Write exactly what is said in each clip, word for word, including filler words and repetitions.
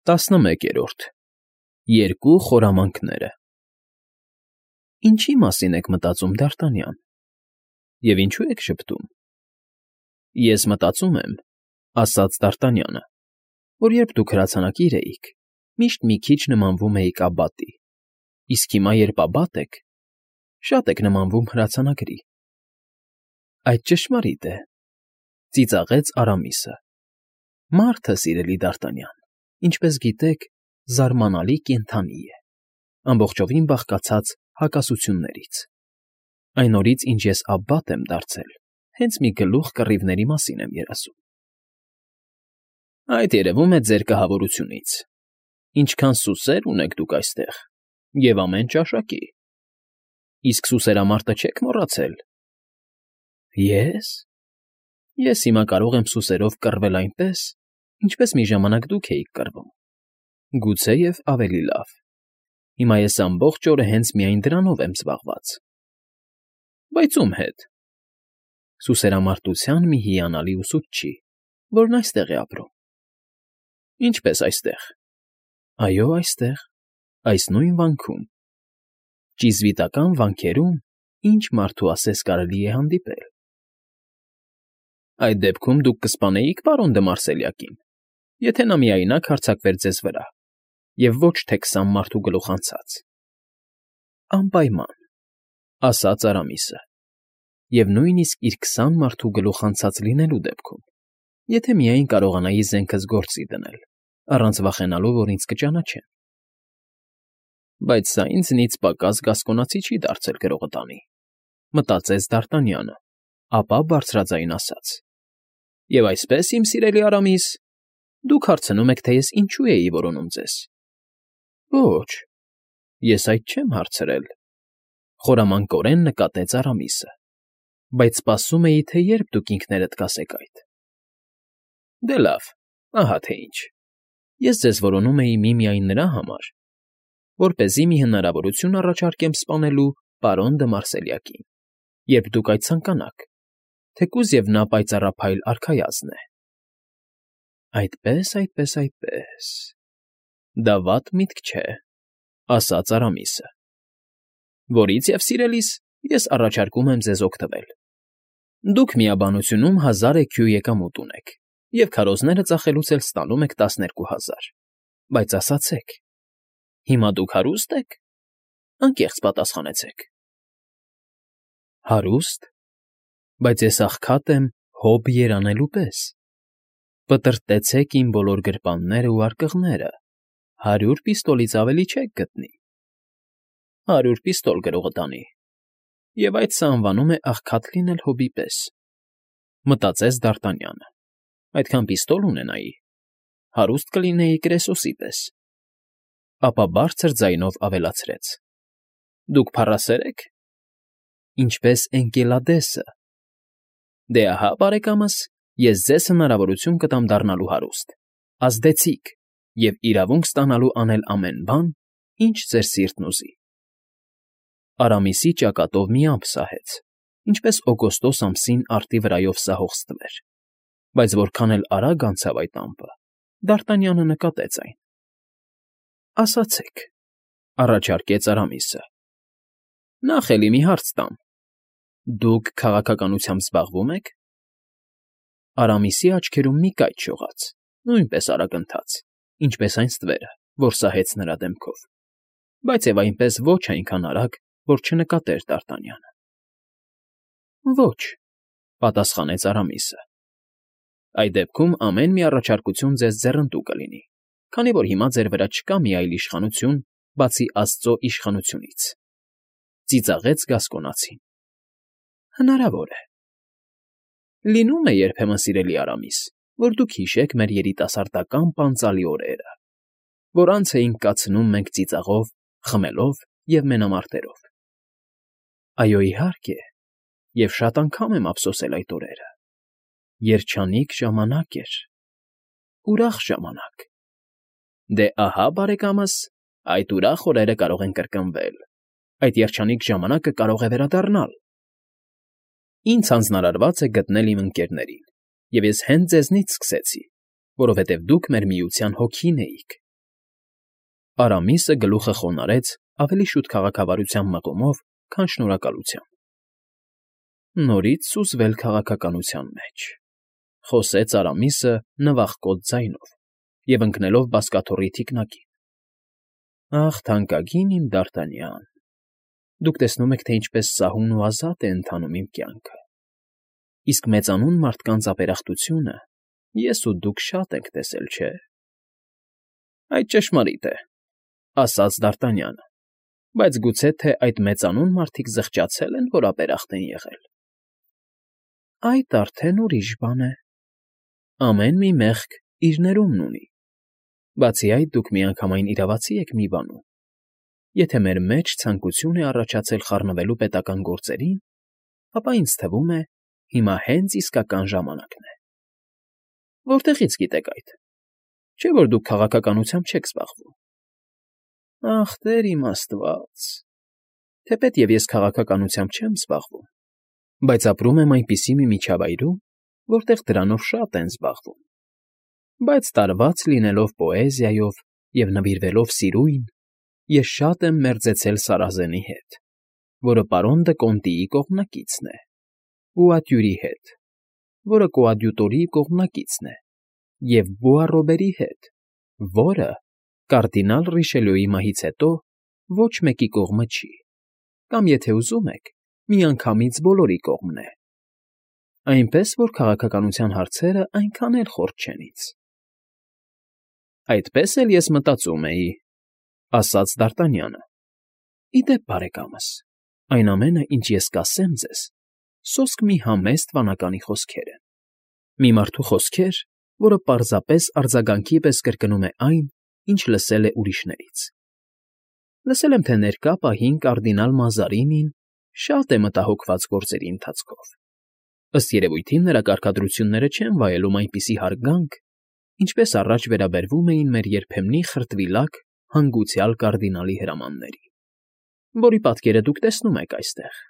ՏԱՍՆՄԵԿԵՐՈՐԴ ԵՐԿՈՒ ԽՈՐԱՄԱՆՔՆԵՐԸ Ինչի՞ մասին եք մտածում, Դ'ԱՐՏԱՆՅԱՆ, և ինչո՞ւ եք ժպտում։ ֊ Ես մտածում եմ, ֊ ասաց դ'Արտանյանը, ֊ որ երբ դուք հրացանակիր էիք, միշտ մի քիչ նմանվում էիք Աբատի, իսկ հիմա, երբ Աբատ եք, շատ եք նմանվում հրացանագրի։ ֊ Այդ ճշմարիտ է, ֊ ծիծաղեց Արամիսը։ ֊ Մարդը, սիրելի Դ'Արտանյան, ինչպես գիտեք, զարմանալի կենդանի է, ամբողջովին բաղկացած հակասություններից։ Այն օրից, ինչ ես Աբբատ եմ դարձել, հենց մի գլուխ կռիվների մասին եմ երազում։ ֊ Այդ երևում է ձեր կահավորությունից. ինչքան սուսեր ունեք դուք այստեղ, և ամեն ճաշակի։ Իսկ սուսերամարտը չե՞ք մոռացել։ ֊ Ե՞ս։ Ես հիմա կարող եմ սուսերով կռվել այնպես, ինչպես մի ժամանակ դուք էիք կռվում, գուցեև ավելի լավ։ Հիմա ես ամբողջ օրը հենց միայն դրանով եմ զբաղված։ ֊ Բայց ո՞ւմ հետ։ ֊ Սուսերամարտության մի հիանալի ուսուցչի, որն այստեղ է ապրում։ ֊ Ինչպե՞ս այստեղ։ ֊ Այո, այստեղ, այս նույն վանքում։ Ճիզվիտական վանքերում ինչ մարդու ասես կարելի է հանդիպել։ ֊ Այդ դեպքում դուք կսպանեի՞ք պարոն դը Մարսելյակին, եթե նա միայնակ հարձակվեր ձեզ վրա, և ոչ թե քսան մարդու գլուխ անցած։ ֊ Անպայման, ֊ ասաց Արամիսը, ֊ և նույնիսկ իր քսան մարդու գլուխ անցած լինելու դեպքում, եթե միայն կարողանայի զենքս գործի դնել, առանց վախենալու, որ ինձ կճանաչեն։ ֊ Բայց սա ինձնից պակաս գասկոնացի չի դարձել գրողը տանի, ֊ մտածեց Դ'Արտանյանը, ապա բարձրաձայն ասաց. ֊ Եվ այսպես, իմ սիրելի Արամիս, դուք հարցնում եք, թե ես ինչու էի որոնում ձեզ։ ֊ Ոչ, ես այդ չեմ հարցրել, ֊ խորամանկորեն նկատեց Արամիսը, ֊ բայց սպասում էի, թե երբ դուք ինքներդ կասեք այդ։ ֊ Դե լավ, ահա թե ինչ. ես ձեզ որոնում էի միմիայն նրա համար, որպեսզի մի հնարավորություն առաջարկեմ սպանելու պարոն դը Մարսելյակին, երբ դուք այդ ցանկանաք, թեկուզ և նա պայծառափայլ արքայազն է։ ֊ Այդպե՜ս, այդպես, այդպես… Դա վատ միտք չէ, ֊ ասաց Արամիսը, ֊ որից և, սիրելիս, ես առաջարկում եմ ձեզ օգտվել։ Դուք միաբանությունում հազար էքյու եկամուտ ունեք և քարոզները ծախելուց էլ ստանում եք տասներկու հազար, բայց ասացեք, հիմա դուք հարու՞ստ եք, անկեղծ պատասխանեցեք։ ֊ Հարուստ, բայց ես աղքատ եմ հոբ երանելու պես։ Պտրտեցեք իմ բոլոր գրպաններն ու արկղները, հարյուր պիստոլից ավելի չեք գտնի։ ֊ Հարյուր պիստոլ, գրողը տանի, և այդ սա անվանում է աղքատ լինել հոբի պես, ֊ մտածեց Դ'Արտանյանը։ Այդքան պիստոլ ունենայի, հարուստ կլինեի Կրեսոսի պես։ Ապա բարձր ձայնով ավելացրեց. ֊ Դուք փառասե՞ր եք։ ֊ Ինչպես Էնկելադեսը։ ֊ Դե ահա, բարեկամս, ես ձեզ հնարավորություն կտամ դառնալու հարուստ, ազդեցիկ և իրավունք ստանալու անել ամեն բան, ինչ ձեր սիրտն ուզի։ Արամիսի ճակատով մի ամպ սահեց, ինչպես օգոստոս ամսին արդի վրայով սահող ստվեր, բայց որքան էլ արագ անցավ այդ ամպը, Դ'Արտանյանը նկատեց այն։ ֊ Ասացեք, ֊ առաջարկեց Արամիսը, ֊ նախ էլի մի հարց տամ. դուք քաղաքականությամբ զբաղվո՞ւմ եք։ ֊ Արամիսի աչքերում մի կայծ շողաց, նույնպես արագընթաց, ինչպես այն ստվերը, որ սահեց նրա դեմքով, բայց և այնպես ոչ այնքան արագ, որ չնկատեր Դ'Արտանյանը։ ֊ Ոչ, ֊ պատասխանեց Արամիսը։ ֊ Այդ դեպքում ամեն մի առաջարկություն ձեզ ձեռնտու կլինի, քանի որ հիմա ձեր վրա չկա մի այլ իշխանություն, բացի աստծո իշխանությունից, ֊ ծիծաղեց գասկոնացին։ ֊ Հնարավոր է։ Լինում է երբեմն, սիրելի Արամիս, որ դուք հիշեք մեր երիտասարդական պանծալի օրերը, որ անց էինք կացնում մենք ծիծաղով, խմելով և մենամարտերով։ ֊ Այո, իհարկե, և շատ անգամ եմ ափսոսել այդ օրերը։ Երջանիկ ժամանակ էր, ուրախ ժամանակ։ ֊ Դե ահա, բարեկամս, այդ ուրախ օրերը կարող են կրկնվել, այդ երջանիկ ժամանակը կարող է վերադառնալ։ Ինձ հանձնարարված է գտնել իմ ընկերներին, և ես հենց ձեզնից սկսեցի, որովհետև դուք մեր միության հոգին էիք, Արամիսը գլուխը խոնարհեց ավելի շուտ քաղաքավարության մղումով, քան շնորհակալությամբ։ Նորից սուզվել քաղաքականության մեջ,֊ խոսեց Արամիսը նվախկոտ ձայնով և ընկնելով բազկաթոռի թիկնակին։ Ախ, թանկագին իմ Դարտանյան, դուք տեսնում եք, թե ինչպես սահուն ու ազատ է ընթանում իմ կյանքը, իսկ մեծանուն մարդկանց ապերախտությունը ես ու դուք շատ ենք տեսել, չէ՞։ Այդ ճշմարիտ է,֊ ասաց Դարտանյանը,֊ բայց գուցե թե այդ մեծանուն մարդիկ զղջացե՞լ են, որ ապերախտ են եղել։ Այդ արդեն ուրիշ բան է։ Ամեն մի մեղք իր ներումն ունի։ Բացի այդ, դուք միանգամայն իրավացի եք մի բանում. եթե մեր մեջ ցանկություն է առաջացել խառնվելու պետական գործերին, ապա ինձ թվում է, հիմա հենց իսկական ժամանակն է։ Որտեղի՞ց գիտեք այդ։ Չէ՞ որ դուք քաղաքականությամբ չեք զբաղվում։ Ախ, Տեր իմ Աստված, թեպետ և ես քաղաքականությամբ չեմ զբաղվում, բայց ապրում եմ այնպիսի մի միջավայրում, որտեղ դրանով շատ են զբաղվում, բայց տարված լինելով պոեզիայով և նվիրվելով սիրույն, ես շատ եմ մերձեցել Սարազենի հետ, որը պարոն Դը Կոնտիի կողմնակիցն է, Բոադյուրի հետ, որը կոադյուտորի կողմնակիցն է, և Բոառոբերի հետ, որը, կարդինալ Ռիշելյուի մահից հետո, ոչ մեկի կողմը չի, կամ, եթե ուզում եք, միանգամից բոլորի կողմն է։ Այնպես որ քաղաքականության հարցերը այնքան էլ խորտ չեն ինձ։ Այդպես էլ ես մտածում էի,֊ ասաց Դարտանյանը։ Ի դեպ, բարեկամս, այն ամենը, ինչ ես կասեմ ձեզ, սոսկ մի համեստ վանականի խոսքեր են, մի մարդու խոսքեր, որը պարզապես արձագանքի պես կրկնում է այն, ինչ լսել է ուրիշներից։ Լսել եմ, թե ներկա պահին կարդինալ Մազարինին շատ է մտահոգված գործերի ընթացքով։ Ըստ երևույթին նրա կարգադրությունները չեն վայելում այնպիսի հարգանք, ինչպես առաջ վերաբերվում էին մեր երբեմնի խրտվիլակ, հանգուցյալ կարդինալի հրամաններին, որի պատկերը դուք տեսնում եք այստեղ,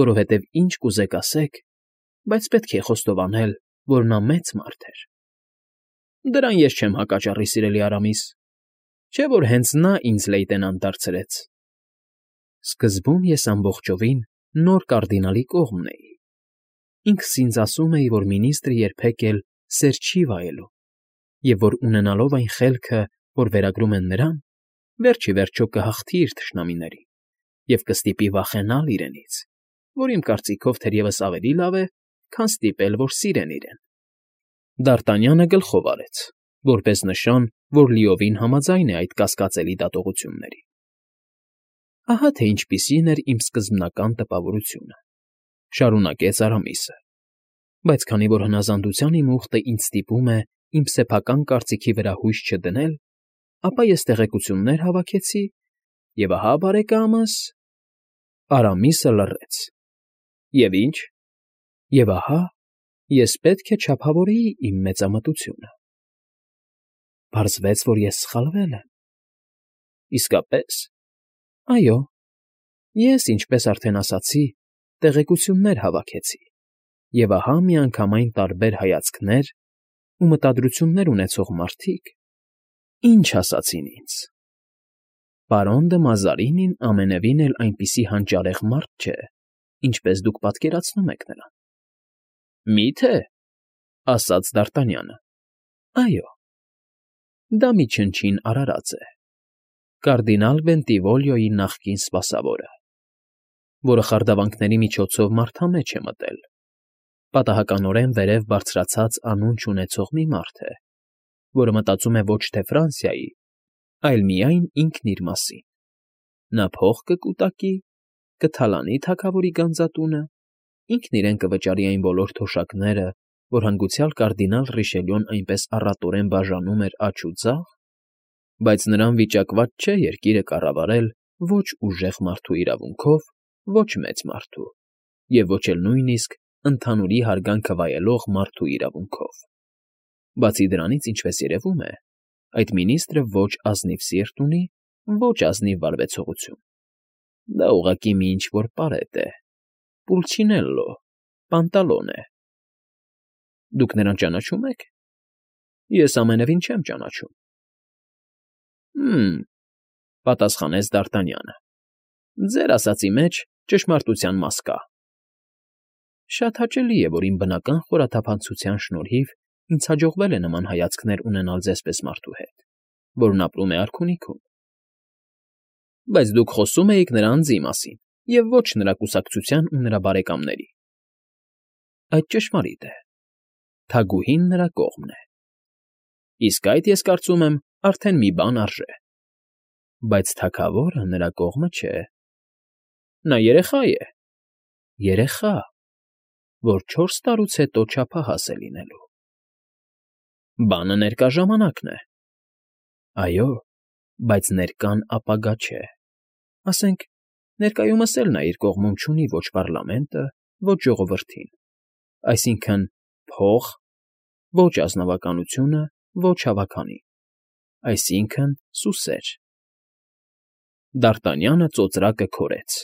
որովհետև ինչ կուզեք ասեք, բայց պետք է խոստովանել, որ նա մեծ մարդ էր։ Դրան ես չեմ հակաճառի, սիրելի Արամիս, չէ՞ որ հենց նա ինձ լեյտենանտ դարձրեց։ Սկզբում ես ամբողջովին նոր կարդինալի կողմն էի։ Ինքս ինձ ասում էի, որ մինիստրը երբեք էլ սեր չի վայելում, և որ ունենալով այն խելքը, որ վերագրում են նրան, վերջ ի վերջո կհաղթի իր թշնամիներին և կստիպի վախենալ իրենից, որ իմ կարծիքով թերևս ավելի լավ է, քան ստիպել, որ սիրեն իրեն։ Դարտանյանը գլխով արեց, որպես նշան, որ լիովին համաձայն է այդ կասկածելի դատողությունների։ Ահա թե ինչպիսին էր իմ սկզբնական տպավորությունը,֊ շարունակեց Արամիսը, բայց քանի որ հնազանդության իմ ուխտը ինձ ստիպում է իմ սեփական կարծիքի վրա հույս չդնել, ապա ես տեղեկություններ հավաքեցի, և ահա, բարեկամս… Արամիսը լռեց։ Եվ ի՞նչ։ Եվ ահա, ես պետք է չափավորեի իմ մեծամտությունը։ Պարզվեց, որ ես սխալվել եմ։ Իսկապե՞ս։ Այո, ես, ինչպես արդեն ասացի, տեղեկություններ հավաքեցի, և ահա միանգամայն տարբեր հայացքներ ու մտադրություններ ունեցող մարդիկ ինչ ասացին ինձ. պարոն Դը Մազարինին ամենևին էլ այնպիսի հանճարեղ մարդ չէ, ինչպես դուք պատկերացնում եք նրան։ Մի՞թե,֊ ասաց Դարտանյանը։ Այո, դա մի չնչին արարած է, կարդինալ Բենտիվոլիոյի նախկին սպասավորը, որը խարդավանքների միջոցով մարդամեջ է մտել, պատահականորեն վերև բարձրացած անուն չունեցող մի մարդ է, որը մտածում է ոչ թե Ֆրանսիայի, այլ միայն ինքն իր մասին։ Նա փող կկուտակի, կթալանի թագավորի գանձատունը, ինքն իրեն կվճարի այն բոլոր թոշակները, որ հանգուցյալ կարդինալ Ռիշելյուն այնպես առատորեն բաժանում էր աջ ու ձախ, բայց նրան վիճակված չէ երկիրը կառավարել ոչ ուժեղ մարդու իրավունքով, ոչ մեծ մարդու, և ոչ էլ նույնիսկ ընդհանուրի հարգանքը վայելող մարդու իրավունքով։ Բացի դրանից, ինչպես երևում է, այդ մինիստրը ոչ ազնիվ սիրտ ունի, ոչ ազնիվ վարվեցողություն։ Դա ուղղակի մի ինչ֊որ պարետ է, պուլչինելլո, պանտալոն է։ Դուք նրան ճանաչո՞ւմ եք։ Ես ամենևին չեմ ճանաչում։ Հը՛մ,֊ պատասխանեց Դ'Արտանյանը։ Ձեր ասածի մեջ ճշմարտության մաս կա։ Շատ հաճելի է, որ իմ բնական խորաթափանցության շնորհիվ ինձ հաջողվել է նման հայացքներ ունենալ ձեզպես մարդու հետ, որն ապրում է արքունիքում։ Բայց դուք խոսում էիք նրա անձի մասին և ոչ նրա կուսակցության ու նրա բարեկամների։ Այդ ճշմարիտ է, թագուհին նրա կողմն է։ Իսկ այդ, ես կարծում եմ, արդեն մի բան արժե։ Բայց թագավորը նրա կողմը չէ։ Նա երեխա է, երեխա, որ չորս տարուց հետո չափահաս է լինելու։ Բանը ներկա ժամանակն է։ Այո, բայց ներկան ապագա չէ։ Ասենք, ներկայումս էլ նա իր կողմում չունի ոչ պարլամենտը, ոչ ժողովրդին, այսինքն՝ փող, ոչ ազնվականությունը, ոչ հավաքանին, այսինքն՝ սուսեր։ Դ'Արտանյանը ծոծրակը քորեց։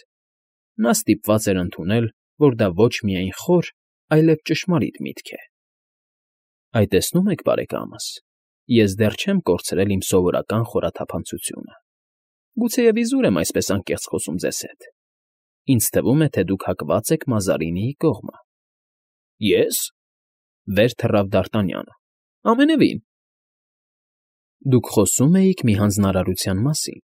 Նա ստիպված էր ընդունել, որ դա ոչ միայն խոր, այլև ճշմարիտ միտք է։ Այ տեսնում եք, բարեկամս, ես դեռ չեմ կորցրել իմ սովորական խորաթափանցությունը։ Գուցեև իզուր եմ այսպես անկեղծ խոսում ձեզ հետ։ Ինձ թվում է, թե դուք հակված եք Մազարինիի կողմը։ Ե՞ս,֊ վեր թռավ Դ'Արտանյանը։ Ամենևին։ Դուք խոսում էիք մի հանձնարարության մասին։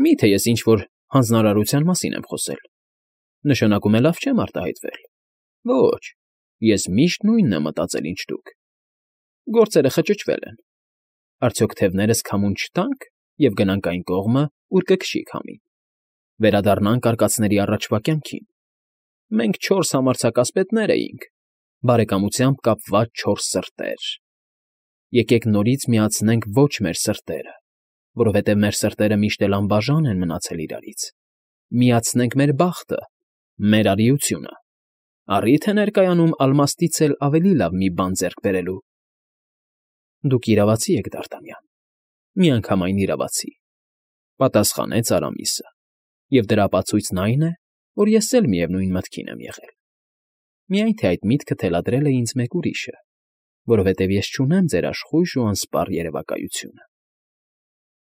Մի՞թե ես ինչ֊որ հանձնարարության մասին եմ խոսել։ Նշանակում է լավ չեմ արտահայտվել։ Ոչ, ես միշտ նույնն եմ մտածել, ինչ դուք։ Գործերը խճճվել են։ Արդյոք թևներս քամուն չտա՞նք և գնանք այն կողմը, ուր կքշի քամին։ Վերադառնանք արկածների առաջվա կյանքին։ Մենք չորս համարձակասպետներ էինք, բարեկամությամբ կապված չորս սրտեր։ Եկեք նորից միացնենք ոչ մեր սրտերը, որովհետև մեր սրտերը միշտ էլ անբաժան են մնացել իրարից։ Միացնենք մեր բախտը, մեր արիությունը։ Առի՞թ է ներկայանում ալմաստից էլ ավելի լավ մի բան ձեռք բերելու։ Դուք իրավացի եք, Դ'Արտանյան, միանգամայն իրավացի,֊ պատասխանեց Արամիսը, և դրա ապացույցն այն է, որ ես էլ միևնույն մտքին եմ եղել։ Միայն թե այդ միտքը թելադրել է ինձ մեկ ուրիշը, որովհետև ես չունեմ ձեր աշխույժ ու անսպառ երևակայությունը։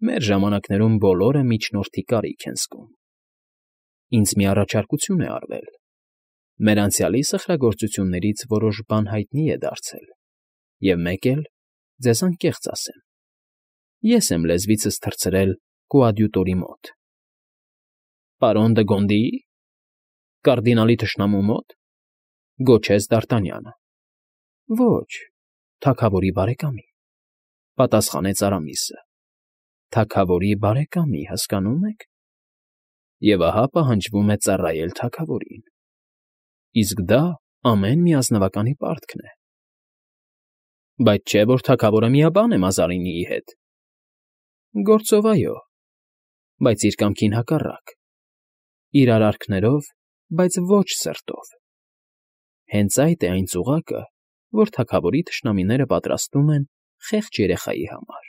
Մեր ժամանակներում բոլորը միջնորդի կարիք են զգում։ Ինձ մի առաջարկություն է արվել։ Մեր անցյալի սխրագործություններից որոշ բան հայտնի է դարձել, և մեկ էլ, ձեզ անկեղծ ասեմ, ես եմ լեզվիցս թռցրել կոադյուտորի մոտ։ Պարոն դը Գոնդիի՞, կարդինալի թշնամու մոտ,֊ գոչեց Դ'Արտանյանը։ Ոչ, թագավորի բարեկամի,֊ պատասխանեց Արամիսը։ Թագավորի բարեկամի, հասկանո՞ւմ եք։ Եվ ահա պահանջվում է ծառայել թագավորին։ Իսկ դա ամեն մի ազնվականի պարտքն է։ Բայց չէ՞ որ թագավորը միաբան է Մազարինիի հետ։ Գործով այո, բայց իր կամքին հակառակ։ Իր արարքներով, բայց ոչ սրտով։ Հենց այդ է այն ծուղակը, որ թագավորի թշնամիները պատրաստում են խեղճ երեխայի համար։